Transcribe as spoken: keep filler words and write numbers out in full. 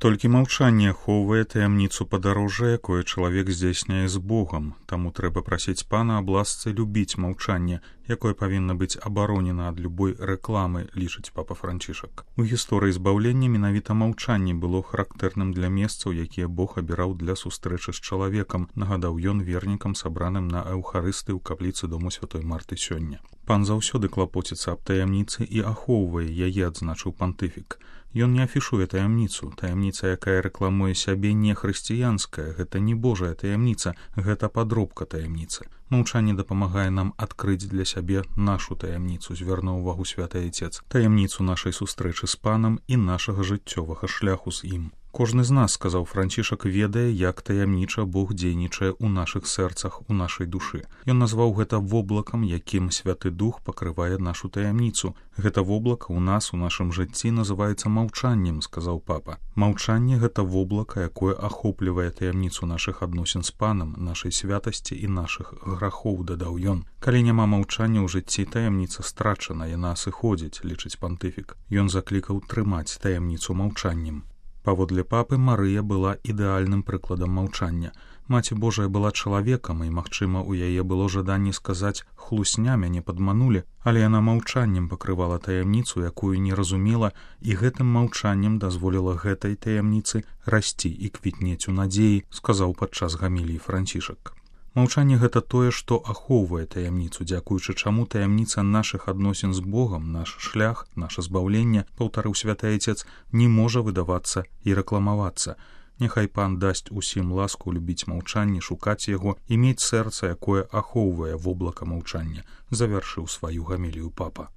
Толькі маўчанне ахоўвае таямніцу падарожжа, якое чалавек здзяйсняе з Богам, таму трэба прасіць пана аб ласцы любіць маўчанне, якое павінна быць абаронена ад любой рэкламы, лічыць папа Францішак. У гісторыі збаўлення менавіта маўчанне было характэрным для месцаў, якія Бог абіраў для сустрэчы з чалавекам, нагадаў ён вернікам, сабраным на эўхарысты ў капліцы дому святой Марты сёння. Пан заўсёды клапоціцца аб таямніцы і ахоўвае яе, адзначыў пантыфік. Ён не афішуе таямніцу. Таямніца, якая рэкламуе сябе, не хрысціянская, гэта не Божая таямніца, гэта падробка таямніцы. Маўчанне дапамагае нам адкрыць для сябе нашу таямніцу, звярнуў увагу святы Айцец, таямніцу нашай сустрэчы з панам і нашага жыццёвага шляху з ім. Кожны з нас, сказаў Францішак, ведае, як таямніча Бог дзейнічае ў нашых сэрцах, у нашай душы. Ён назваў гэта воблакам, якім Святы Дух пакрывае нашу таямніцу. Гэта воблака ў нас, у нашым жыцці, называецца маўчаннем, сказаў папа. Маўчанне — гэта воблака, якое ахоплівае таямніцу нашых адносін з панам, нашай святасці і нашых грахоў, дадаў ён. Калі няма маўчання ў жыцці, таямніца страчана, яна сыходзіць, лічыць пантыфік. Ён заклікаў трымаць таямніцу маўчаннем. Паводле папы, Марыя была ідэальным прыкладам маўчання. Маці Божая была чалавекам, і, магчыма, у яе было жаданне сказаць «хлусня, мяне падманулі», але яна маўчаннем пакрывала таямніцу, якую не разумела, і гэтым маўчаннем дазволіла гэтай таямніцы расці і квітнець у надзеі, сказаў падчас гаміліі Францішак. Маўчанне — гэта тое, што ахоўвае таямніцу, дзякуючы чаму таямніца нашых адносін з Богам, наш шлях, наша збаўленне, паўтарыў святы Айцец, не можа выдавацца і рэкламавацца. Няхай пан дасць усім ласку любіць маўчанне, шукаць яго і мець сэрца, якое ахоўвае воблака маўчання, завяршыў сваю гамілію папа.